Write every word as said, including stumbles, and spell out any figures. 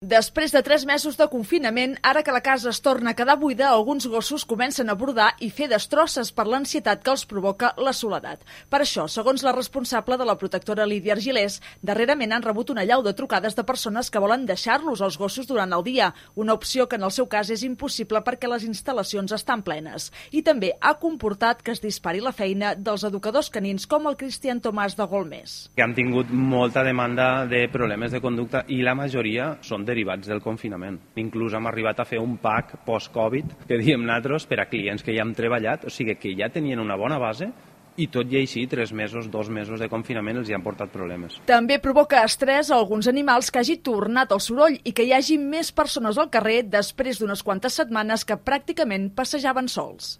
Després de tres mesos de confinament, ara que la casa es torna a quedar buida, alguns gossos comencen a brodar i fer destrosses per l'ansietat que els provoca la soledat. Per això, segons la responsable de la protectora Lídia Argilés, darrerament han rebut una allau de trucades de persones que volen deixar-los als gossos durant el dia, una opció que en el seu cas és impossible perquè les instal·lacions estan plenes. I també ha comportat que es dispari la feina dels educadors canins com el Cristian Tomàs de Golmés. Que han tingut molta demanda de problemes de conducta i la majoria són de derivats del confinament. Inclús hem arribat a fer un pack post-Covid, que diem nosaltres, per a clients que ja hem treballat, o sigui que ja tenien una bona base i tot i així, tres mesos, dos mesos de confinament els hi han portat problemes. També provoca estrès a alguns animals que hagi tornat el soroll i que hi hagi més persones al carrer després d'unes quantes setmanes que pràcticament passejaven sols.